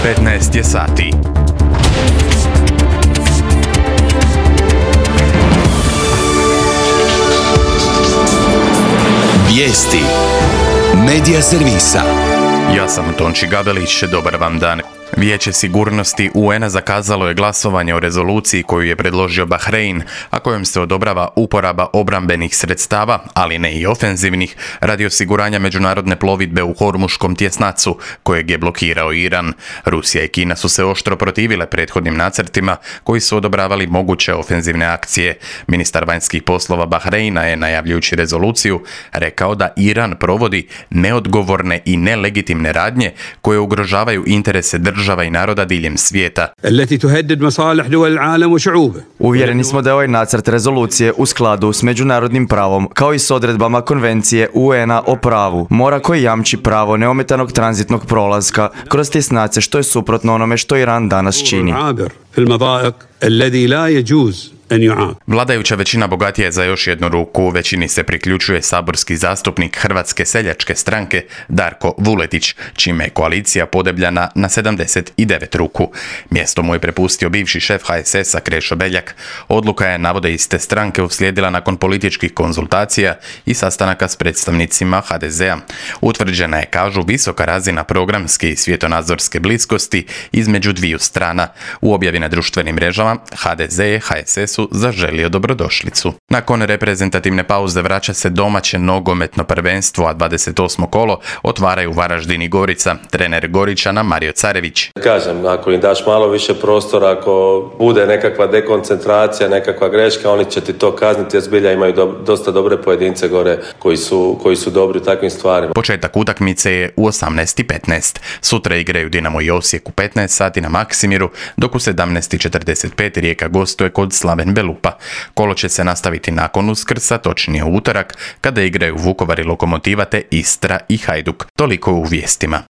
15 je sati. Vijesti Medija servisa. Ja sam Tonči Gabelić, dobar vam dan. Vijeće sigurnosti UN-a zakazalo je glasovanje o rezoluciji koju je predložio Bahrein, a kojom se odobrava uporaba obrambenih sredstava, ali ne i ofenzivnih, radi osiguranja međunarodne plovidbe u Hormuškom tjesnacu, kojeg je blokirao Iran. Rusija i Kina su se oštro protivile prethodnim nacrtima koji su odobravali moguće ofenzivne akcije. Ministar vanjskih poslova Bahreina je, najavljujući rezoluciju, rekao da Iran provodi neodgovorne i nelegitimne radnje koje ugrožavaju interese država i naroda diljem svijeta. Uvjereni smo da je ovaj nacrt rezolucije u skladu s međunarodnim pravom, kao i s odredbama konvencije UN-a o pravu mora koji jamči pravo neometanog tranzitnog prolaska kroz tjesnace, što je suprotno onome što Iran danas čini. Vladajuća većina bogatija je za još jednu ruku. Većini se priključuje saborski zastupnik Hrvatske seljačke stranke Darko Vuletić, čime je koalicija podebljana na 79 ruku. Mjesto mu je prepustio bivši šef HSS-a Krešo Beljak. Odluka je, navode iz te stranke, uslijedila nakon političkih konzultacija i sastanaka s predstavnicima HDZ-a. Utvrđena je, kažu, visoka razina programske i svjetonazorske bliskosti između dviju strana. U objavi na društvenim mrežama HDZ je HSS-u zaželio dobrodošlicu. Nakon reprezentativne pauze vraća se domaće nogometno prvenstvo, a 28. kolo otvaraju Varaždin i Gorica. Trener Goričana Mario Carević. Kažem, ako im daš malo više prostora, ako bude nekakva dekoncentracija, nekakva greška, oni će ti to kazniti, jer zbilja imaju dosta dobre pojedince gore koji su dobri u takvim stvarima. Početak utakmice je u 18:15. Sutra igraju Dinamo i Osijek u 15 sati na Maksimiru, dok u 17:45 Rijeka gostuje kod Slaven Belupa. Kolo će se nastaviti nakon Uskrsa, točnije u utorak, kada igraju Vukovar i Lokomotiva te Istra i Hajduk. Toliko u vijestima.